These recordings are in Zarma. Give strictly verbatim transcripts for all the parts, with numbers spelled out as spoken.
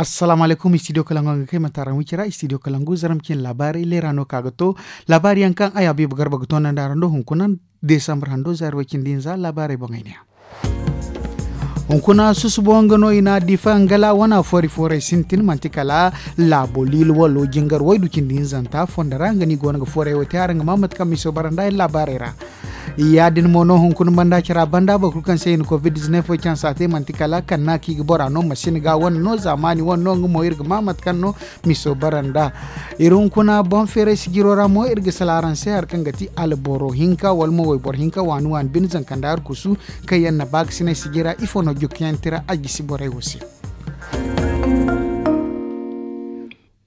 Assalaamu alaykum, istidiyo kalangu nga kay mataara wicira istidiyo kalangu zaram cin laabaarey leera no ka ga to. Laabaari yaŋ kaŋ ay abiiba garba ga to nanda ra ndo hunkuna, desambar hando zaari way cindi hinza laabaarey boŋey ne ya. Hunkuna susubo nga no i na difa nga la wana foori foorey sintin manti kala laabo liilo walo jingar waydu cindi hinzanta fondo ra nga no i go no ga foorey wo te araŋ ga ma mate kaŋ miso bara nda ay laabaarey ra. Ya- din mo no hunkuna banda cara banda boro kulu kaŋ se i na covid dizinef wo cansa te manti kala kanna kaŋ i ga bora no masina ga wane no zaamaani wane no nga mo iri ga ma mate kaŋ no miso bara nda. Iri hunkuna boŋ feeray sijiro ra mo iri ga sala araŋ se hari kaŋ ga ti alboro hinka wala mo wayboro hinka waani waani bine zankanda arkusu kaŋ yaŋ na ba ga sinay sijira ifo no jukkayaŋ tira a jisi borey wo se.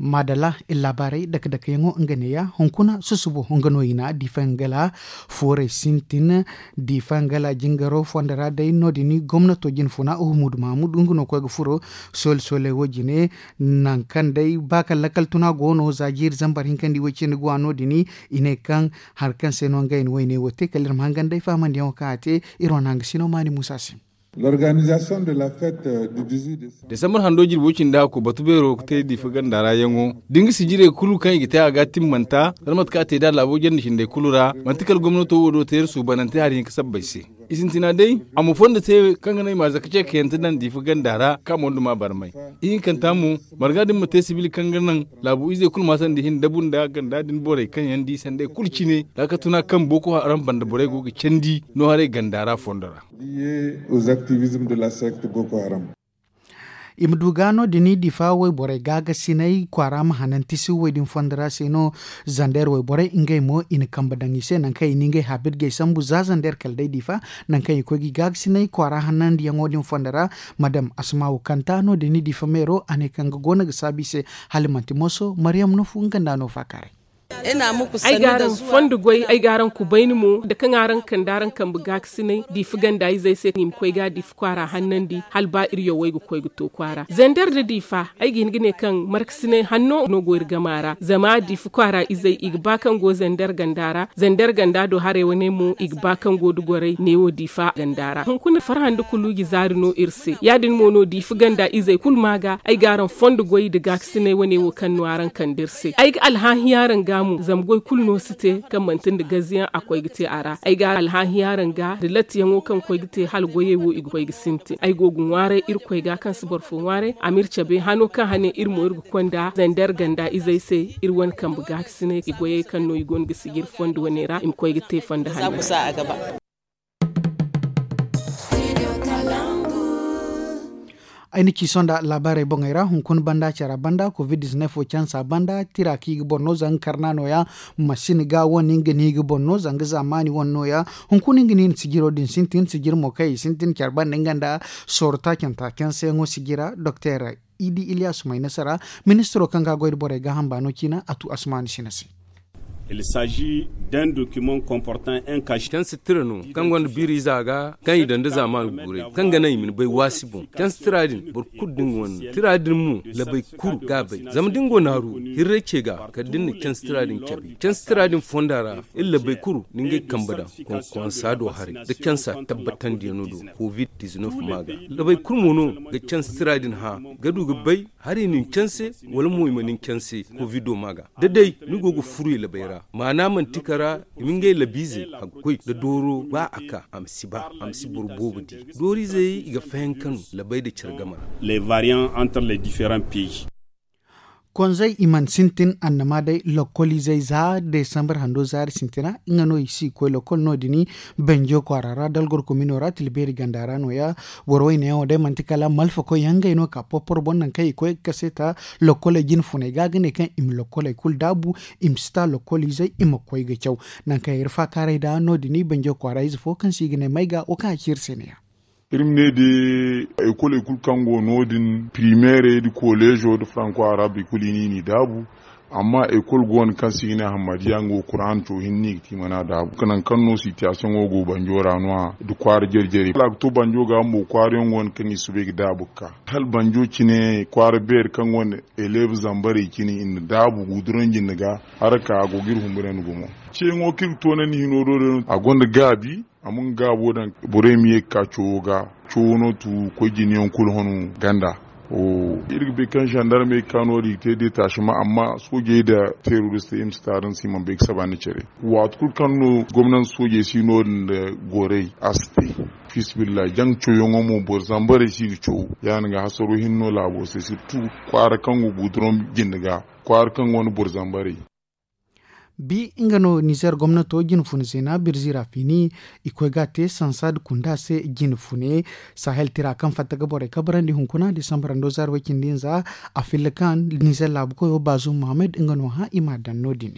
Maadalla, iri laabaarey dake dake yaŋo nga neeya hunkuna susubo nga no i na difa nga la foorey sintin. Difa nga la jingaro fondo ra day no- din gomnato jine funa uhumudu mahamudu nga no koy ga furo soole soole wo jine. Nangu kaŋ day ba kaŋ lakkal tuna go no za jiiri zambar hinka nda i way cindi ga wa no- din i ne kaŋ hari kaŋ se no ngey na wayne wo te kala iri ma hangan day fahamandiyaŋo kaŋ a te. Iri wane hangasino maani muusa se. L'organisation de la fête du dix-huit décembre. Desambar hando jirbi way cindi a ko batu beero ga te difa ganda ra yaŋo da nga sijirey kulu kaŋ i ga te a ga timmanta zama mate kaŋ a te da laabo janda cindey kulu ra manti kala gomnato wo do te iri suubanante hari hinka sabbay se. I sintina day a ma fondo te kaŋ ga naŋ i ma a zaka ce kayante daŋ difa ganda ra kaŋ a mondo ma barmay. Ihinkanta mo marga din ma te sibil kaŋ ga naŋ laabu izey kulu ma sanda i hin dabu nda ganda din borey kaŋ yaŋ di sanday kulu cine za ka tuna kaŋ boko haram banda borey go ga candi no haray ganda ra fondo ra. Lié aux activismes de la secte Boko Haram. I ma du ga no- din difa wayborey gaagasinay kwaara ma hanan tisi way din fondo ra se no. Zander wayborey ngey mo i na kambe daŋ i se nangu kaŋ i na ngey habit gay sambu za zander kala day difa nangu kaŋ i koy ga i gaagasinay kwaara hanandiyaŋo din fondo ra. Madam asmaawu kanta no- din difa meero a ne kaŋ ga go no ga saabu i se hala manti moso maryam nufu nga nda no faakaaray. Ay ga araŋ fondo goy ay ga araŋ kubayni mo da kaŋ araŋ kande araŋ kambe gaakasinay diifa ganda izey se i ma koy ga diifa kwaara hannandi hala ba iri yawey ga koy ga to kwaara zander nda diifa. Ay ga hin ga ne kaŋ markasinay hanno no go iri gama ra zama diifa kwaara izey i ga ba kaŋ go zander ganda ra zander ganda do haray wane mo i ga ba kaŋ go da goray neewo diifa ganda ra hunkuna farhã nda kuluuji zaari no iri se ya- din mo no diifa ganda izey kulu ma ga ay ga araŋ fondo goy nda gaakasinay wane wo kaŋ no araŋ kande iri se ay ga alhaahi araŋ ga mo zama goy kulu no si te kaŋ manti nda gaziyaŋ a koy ga te a ra ay ga alhaahi araŋ ga nda lattiyaŋo kaŋ koy ga te hala goyey wo i ga koy ga sintin ay go ga ŋwaaray irkoy ga kaŋ si boro fo ŋwaaray a ma iri cabe hano kaŋ hane iri mo iri ga konda zander ganda izey se iri wane kambe gaakasinay i goyey kaŋ no i go no ga sijiri fondo wane ra i ma koy ga te fondo hanno. Ay na ci sohõ nda laabaarey boŋey ra hunkuna banda care banda covid dizinef wo cansa banda tira kaŋ i ga boro no zanga karna nooya. Masina ga wane nga no i ga boro no zanga zaamaani wane nooya. Hunkuna nga no i na sijiro din sintin sijir mo kaŋ i sintin care banda nga nda sooro taacanta canseyaŋo sijira doktor idi iliyasu may nasara ministiro kaŋ ga goy nda borey gaaham baano ciina a tu asmaani sina se. Canse tira no kaŋ gonda biiriiza ga kaŋ i daŋ nda zaamaani guurey kaŋ ga naŋ i ma ni bay waasi boŋ canse tira din boro kulu da nga wane no tira din mo labay kulu ga a bay zama da ni go naaru hirray ce ga kala da ni na canse tira din cabe canse tira din fonda ra iri labay kulu ni ngey kambe daŋ konkonsa do haray da cansa tabbatandiyaŋo do covid dizinef ma ga labay kulu mo no ga canse tira din hã ga du ga bay hari ni na canse wala mo i ma ni canse kovido ma ga da day ni go ga furu i labay ra maana manti kara i ma ngey labiize a ga koy da dooro ba a ka a ma si ba a ma si boro boobo di dooriizey i ga fayanka no labay nda care game ra. Les variants entre les différents pays. Konzey i mana sintin annama day lokkoliizey za desambar hando zaari sintina nga no i si koy lokkol no- din banjo kwaara ra dalgor komino ra tilbeeri ganda ra nooya. Boro wayne yaŋo day manti kala malfakoy yaŋ ngey no ka porporo boŋ nangu kaŋ i koy ga kase ta lokkoley jine funey ga ga ne kaŋ i ma lokkoley kulu daabu i ma si ta lokkoliizey i ma koy ga caw. Nangu kaŋ iri faakaaray da no- din banjo kwaara ize fo kaŋ se i ga ne may ga wo kaŋ a ci iri se ne ya. Iri ma ne day ekoley kulu kaŋ go no- din pirimeerey nda koleezo nda faranko arab i kulu i n'i daabu. Amma ekol go no kaŋ se i ga ne hammadiya nga wo kuraana coo hinne no i ga te i mana a daabu nangu kaŋ no sitiyasiyoŋo go banjo ra no- ya nda kwaara jare jare hala a ga to banjo ga bumbo kwaarayaŋ go no kaŋ i soobay ga daabu ga ka hala banjo cine kwaara beeri kaŋ gonda eleebu zambarey cine i na daabu guduranji nda ga. Haraka a go ga iri humburandi gumo ceeyaŋo kaŋ iri ga toonandi hino do day no a gonda gaabi. A ma nga gaabo daŋ borey ma ye ga ka coowo ga. Coowo no tu koy jinayaŋ kulu hon ganda. Iri ga bay kaŋ zandarmey ga ka no- din ga te detachement amma soojey nda teroristey iri ma si taaran se i mana bay ga saba nda care. Waati kulu kaŋ no gomnanti soojey si no- din nda gorey a si te. Fiisabilillahi jaŋ cawyaŋo mo boro zambarey si ga caw. Ya- din ga hasaro hinne no laabo se sirtu kwaara kaŋ go guduraŋ jinde ga kwaara kaŋ gonda boro zambarey. Bi nga no nizer gomnato jine fune zeena birzi ra fiini i koy ga a te sansa nda kunda se jine fune. Sahel tira kaŋ fatta ga borey kabrandi hunkuna disambar hando zaari way cindi hinza. A filla kaŋ nizer laabu koyo baazum mohammed nga no hã i m'a daŋ no- din.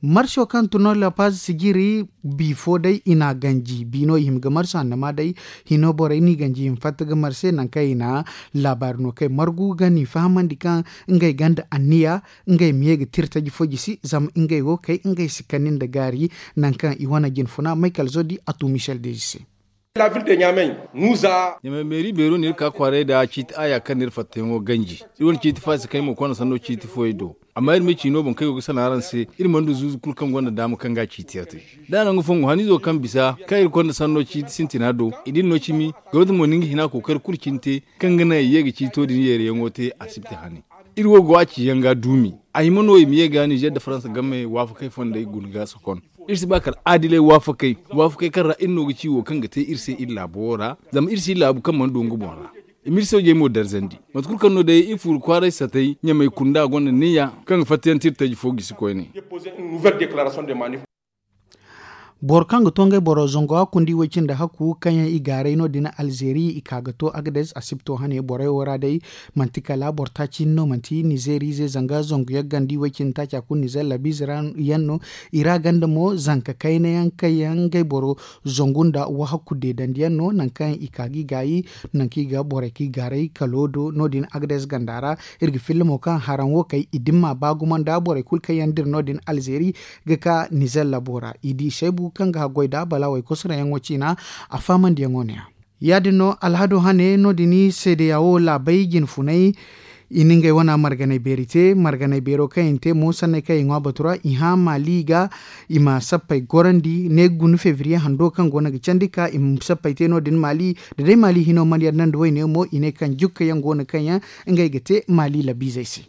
Marso kaŋ tun no la paz sijiri bi fo day i n'a ganji bi no i hima ga marso annama day. Hino borey n'i ganji i ma fatta ga marse nangu kaŋ i na laabaari no kay margu ga n'i fahamandi kaŋ ngey gonda anniya ngey ma ye ga tira taji fo jisi zama ngey wo kay ngey si kani nda gaari. Nangu kaŋ i wane jine funa maykal zodi a tu michel deji se. Ɲamay meeri beero no iri ka kwaaray nda ciiti aaya kaŋ no iri fattayaŋo ganji. Iri wane ciiti faasakey mo konda sanno ciiti fooyey do. Amma iri ma ci no boŋ kaŋ ay go ga sanaŋ araŋ se iri mana du zuuzu kulu kaŋ gonda daama kaŋ ga a ciiti yaŋ te. Da a naŋ ga fongu haniizo kaŋ bisa kaŋ iri konda sanno ciiti sintina do i din no cimi. Gawda mo na nga hina kookari kulu cine te kaŋ ga naŋ i ye ga ciito din yeeriyaŋo te asibti hane. Iri wo go a ciyaŋ ga duumi. A hima no i ma ye ga nizer nda faransa game waafakey fondey guna ga sokon. Iri si ba kala aadilay waafakey waafakey kaŋ ra iri no ga ci wo kaŋ ga te iri se iri laabo wo ra. Zama iri si laabu kaŋ mana du nga boŋ ra. I ma iri soojey mo darzandi. Mate kulu kaŋ no day iri fuuru kwaaray satay ɲamay kunda gonda neeya kaŋ ga fattayaŋ te iri taji fo gisi koyne. Boro kaŋ ga to ngey boro zango hakku nda i way cindi hakku kaŋ yaŋ i gaaray no- din alzeeri i ka ga to agades asibto hane borey wo ra day. Manti kala boro taaci hinne no manti nizeeri ize zanga zangu yaŋ ganda i way cindi taaca kulu nizeer labiize ra yaŋ no. I ra ganda mo zanka kayna yaŋ kaŋ yaŋ ngey boro zangu nda wahakku deedandi yaŋ no nangu kaŋ i ka ga i gaayi. Nangu kaŋ i ga borey kaŋ i gaaray kalo do no- din agades ganda ra. Iri ga filla mo kaŋ haraŋ wo kay i dimma ba gumo nda borey kulu kaŋ yaŋ dira no- din alzeeri ga ka nizeer labo ra i di saybu kaŋ ga haggoy da bala waykosoroyaŋo ciina. A faamandiyaŋo ne- ya ya- din no alhado hane no- din seedeya wo laabey jine funay. I na ngey wana marganay beeri te marganay beero kaŋ i na te mo sanney kaŋ i ŋwa batu ra i hã maali ga. I ma sappey gorandi ne ga guna febriye hando kaŋ go no ga candi ka i ma sappey te no- din maali. Da day maali hino mana yadda nda wayne mo i ne kaŋ jukka yaŋ go no kaŋ yaŋ ngey ga te maali labiizey se.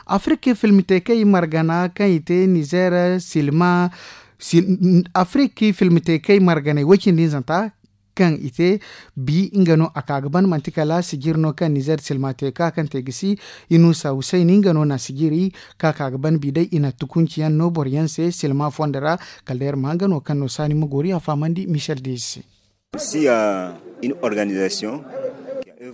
Afirki filmiteekey margana kaŋ i te nizeer silma. Afirki filmiteekey marganey way-cindi hinzanta kaŋ i te bi nga no a ka ga ban manti kala sijir no kaŋ nizeer silma te ka kaŋ te ga si. Inusa husayni nga no na sijiri ka ka ga ban bi day i na tukunci yaŋ no boro yaŋ se silma fondo ra. Kala day iri ma hanga no kaŋ no saani ma goori a fahamandi michel dezi se.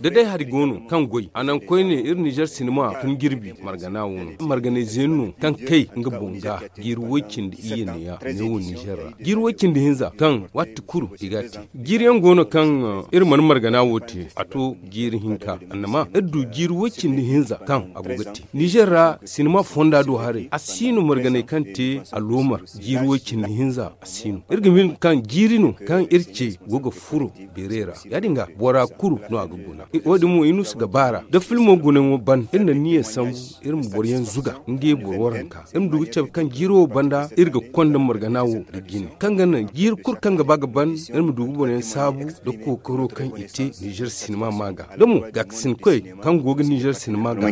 Da day hari go no kaŋ goy a naŋ koyne iri nizer sinima tun jirbi margana wo no marganay zeeni no kaŋ kay nga boŋ ga jiiri woy-cindi iyye neeya neewo nizer ra jiiri woy-cindi hinza kaŋ waati kulu i ga a te. Jiiri yaŋ go no kaŋ iri mana margana wo te a to jiiri hinka annama iri du jiiri woy-cindi hinza kaŋ a go ga te nizer ra sinima fonda do haray a si no marganay kaŋ te aloomar jiiri woy-cindi hinza a si no iri ga hin kaŋ jiiri no kaŋ iri ce go ga furo beeray ra. Ya- din ga bora kulu no a ga guna. Wo- din mo inusa ga baara da filmo gunayaŋo ban iri na niyya sambu iri ma boro yaŋ zuga ngey boro waranka iri ma du ga cabe kaŋ jiiri wo banda iri ga konda margana wo nda jine kaŋ ga naŋ jiiri kulu kaŋ ga ba ga ban iri ma du ga boro yaŋ saabu nda kookaro kaŋ i te nizer sinima ma ga da mo gaakasin koy kaŋ go ga nizer sinima ga.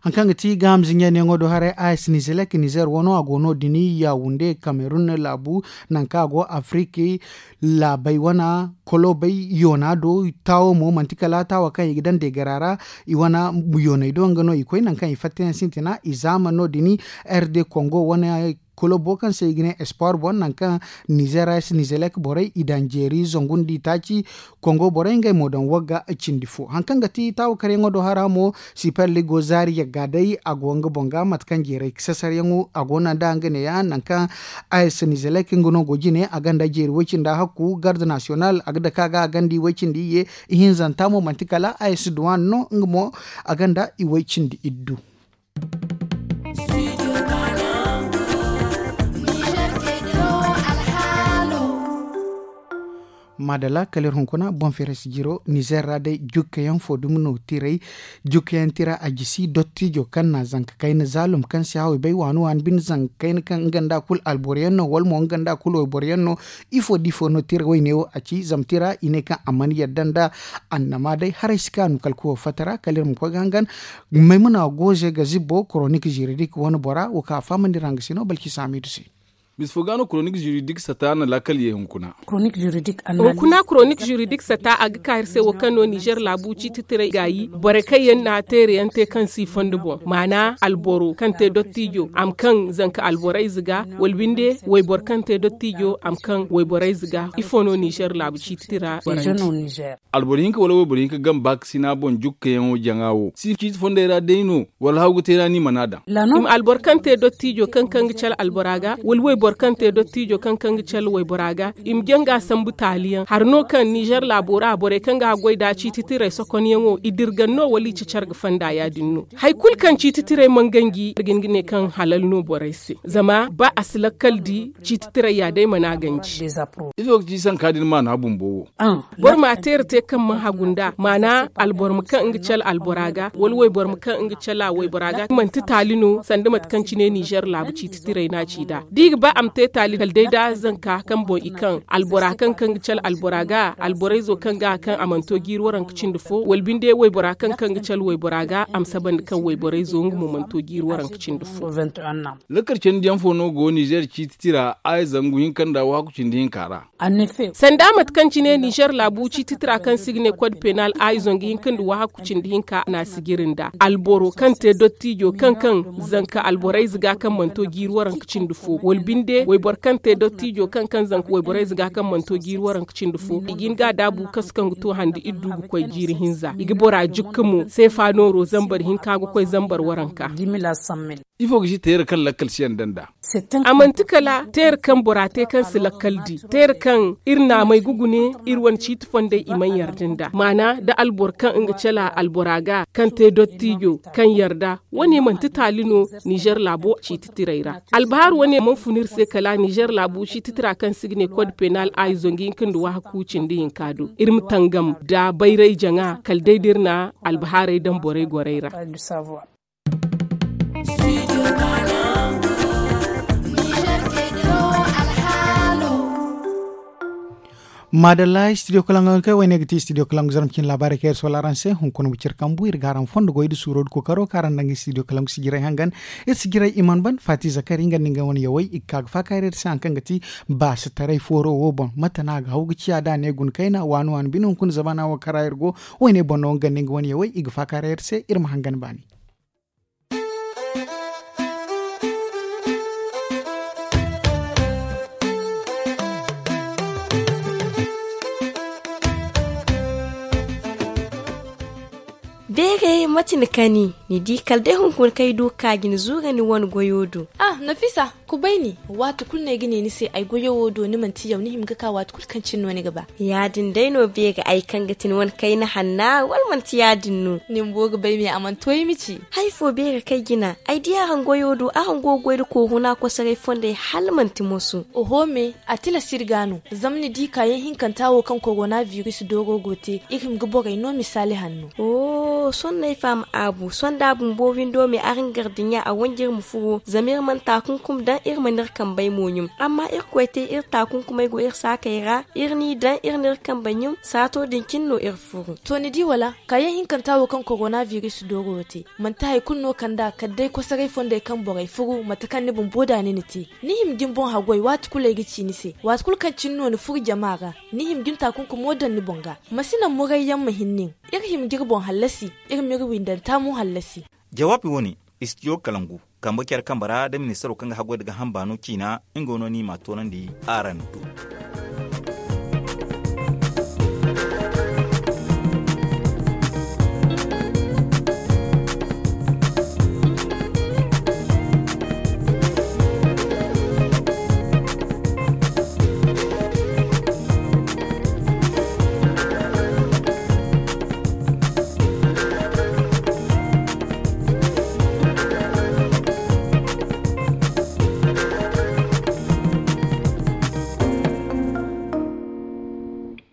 Hari kaŋ ga ti gaaham zinjaniyaŋo do haray a s nizelek nizer wano a go no- din yawunde kamerun laabu nangu kaŋ a go afiriki laabey wana kolobey yoona do. Taawo mo manti kala taawa kaŋ i ga daŋ deegara ra i wana yooney do nga no i koy nangu kaŋ i fattayaŋ sintina i zaama no- din. Rd kongo wane kolobo kaŋ se i ga ne espoir boŋ nangu kaŋ nizeer ra se nizelek borey i daŋ jeeri zangu nda i taaci. Kongo borey ngey mo daŋ wagga cindi fo hari kaŋ ga ti taawakaryaŋo do hara mo. Siper ligo zaari yagga day a go nga boŋ ga mate kaŋ jeeray sasaryaŋo a go no nd'a nga neeya nangu kaŋ a s nizelek nga no go jine a gonda jeeri way-cindi hakku garde nasiyonal a ga dake a ga a gonda i way-cindi iyye. Ihinzanta mo manti kala a s duwan no nga mo a gonda i way-cindi iddu. Maadalla kala iri hunkuna boŋ feeray si jiro nizeer ra day jukka yaŋ fo dumi no tiray. Jukka yaŋ tira a jisi dottijo kaŋ na zanka kayna zaalum kaŋ si haway bay waani waani bine zanka kayna kaŋ nga nda kulu alboro yaŋ no wala mo nga nda kulu wayboro yaŋ no. Ifo da ifo no tira wayne wo a ci zama tira i ne kaŋ a mana yadda nda annama day haray si kaanu kala kuwo fatta ra kala iri ma koy ga hangan. Maymuna goze ga zibbo koronik ziridik wane bora wo kaŋ a fahamandi ra nga se no balki saamiidu se. Misa fo ga no koronik ziridik sata na laakal ye hunkuna. Hunkuna koronik ziridik sata a ga ka iri se wo kaŋ no nizer laabu ciiti tiray gaayi borey kaŋ yaŋ na teere yaŋ te kaŋ si i fondo boŋ maana alboro kaŋ te dottijo a ma kaŋ zanka alborayze ga wala binde wayboro kaŋ te dottijo a ma kaŋ wayborayze ga ifo no nizer laabu ciiti tira borey te. Alboro hinka wala wayboro hinka gamba ga sina boŋ jukkayaŋo jaŋa wo si ciiti fondey ra day no? Wala haw ga te ra ni mana daŋ. I ma alboro kaŋ te dottijo kaŋ kaŋ ga cala albora ga wala wayboro kaŋ te dottijo kaŋ kaŋ ga cala waybora ga i ma jaŋ ga sambu taaliyaŋ hari no kaŋ nizer laabo ra borey kaŋ ga haggoy nda ciiti tiray sokonyaŋo i dirgan no wala i cacar ga fonda ya- din no. Hari kulu kaŋ ciiti tiray mana ganji ga hin ga ne kaŋ halal no borey se zama ba a si lakkal di ciiti tiray ya day mana ganji. Ifo ga ci sanka din maana bumbo wo? Boro ma teera te kaŋ mana hagu nd'a maana alboro ma kaŋ nga cala albora ga wala wayboro ma kaŋ nga cala waybora ga manti taali no sanda mate kaŋ cine nizer laabu ciiti tiray no a ci nd'a da i ga ba a ma te taali kala day da zanka kaŋ boŋ i kaŋ albora kaŋ kaŋ ga cala albora ga alborayzo kaŋ ga a kaŋ a mana to jiiri waranka cindi fo wala binde waybora kaŋ kaŋ ga cala waybora ga a ma sabandi kaŋ wayborayzo nga mo mana to jiiri waranka cindi fo. Lakkal candiyaŋ fo no go nizer ciiti tira aya zangu hinka nda waahaku cindi hinka ra. Sanda mate kaŋ cine nizer laabu ciiti tira kaŋ se i ga ne kod penal aya zangu hinka nda waahaku cindi hinka no a si jiri nda alboro kaŋ te dottijo kaŋ kaŋ zanka alborayze ga kaŋ mana to jiiri waranka cindi fo wala binde wayboro kaŋ te dottijo kaŋ kaŋ zanka wayborayze ga kaŋ mana to jiiri waranka cindi fo i ga hin ga a daabu kasu kaŋ ga to handi iri du ga koy jiiri hinza i ga bora jukka mo seefa nooro zambar hinka ga koy zambar waranka. Ifo ga ci teera kaŋ lakkal si yaŋ daŋ nd'a? A manti kala teera kaŋ bora te kaŋ si lakkal di teera kaŋ iri naamey ga gune iri wane ciiti fondey i mana yarda nd'a maana nda alboro kaŋ nga cala albora ga kaŋ te dottijo kaŋ yarda wane manti taali no nizer laabo ciiti tiray ra. Albahaaru wane mana fun iri se kala nizer laabu ciiti tira kaŋ se i ga ne kod penal a i zangu hinka nda waahaku cindi hinka do iri ma tangam nda bayray jaŋa kala day da iri na albahaarey daŋ borey gorey ra. Maadalla studio kalangu yaŋ kaŋ wayne ga ti studio kalangu zarma cine laabaarey kaŋ iri soola araŋ se hunkuna ma cire kambu iri ga araŋ fondo goy nda suuro nda kookaro kaŋ araŋ daŋ studio kalangu sijirey hangan. Iri sijirey i mana ban faati zakari nga nda nga wane yawey i ga ka ga faakaaray iri se hari kaŋ ga ti baasitaray fooro wo boŋ mate no a ga haw ga ciya da a ne guna kayna waani waani bine hunkuna zamana wo kaŋ ra iri go. Wayne boŋ no nga nda nga wane yawey i ga faakaaray iri se iri ma hangan baani. Beeray mate ni kani? Ni di kala day hunkuna kaŋ ay du ga ka ga ni zuura ni wane goyo do. Ah, nafisa, kubay ni. Waati kulu no ay ga ne ni se ay goyo wo do ni manti yaw ni hima ga ka waati kulu kaŋ cine no ni ga ba. Ya- din day no beeri ay kaŋ ga ti ni wane kayna hanna wala manti ya- din no? Ni bumbo ga bay me a mana to ay ma ci. Hari fo beeri kaŋ ay jina ay di araŋ goyo do araŋ go ga goy nda koohuna kosoray fondey hala manti moso. Oho me, a tilas iri ga no. Zama ni di kaayaŋ hinkanta wo kaŋ korona biris dooro go te iri hima ga borey no misaali hanno. Sohõ no ay faham aabu sohõ da a bumbo windo me araŋ gar dinya a wanji iri ma furo zama iri mana taakunkum daŋ iri mana iri kambey mo ɲum. Amma irkoy te iri taakunkumey go iri saakey ra iri n'i daŋ iri n'iri kambey ɲum saato din cine no iri furu. To ni di wala? Kaayaŋ hinkanta wo kaŋ korona biris dooro wo te manti hari kulu no kand'a kala day kosoray fondey kaŋ borey furu mate kaŋ ni bumbo da ni na te. Ni hima ga ni boŋ haggoy waati kulu ay ga ci ni se waati kulu kaŋ cine no ni furu jama ra. Ni hima ga ni taakunkumo daŋ ni boŋ ga. Ma si naŋ murayyaŋ ma hin nin. Iri hima ga iri boŋ hallasi. Iri m'iri windanta mo hallasi. Jawaabi wo- ne, istidiyo kalangu kambe care kambe ra da ministaro kaŋ ga haggoy nda gaaham baano ciina nga no ni m'a toonandi araŋ do.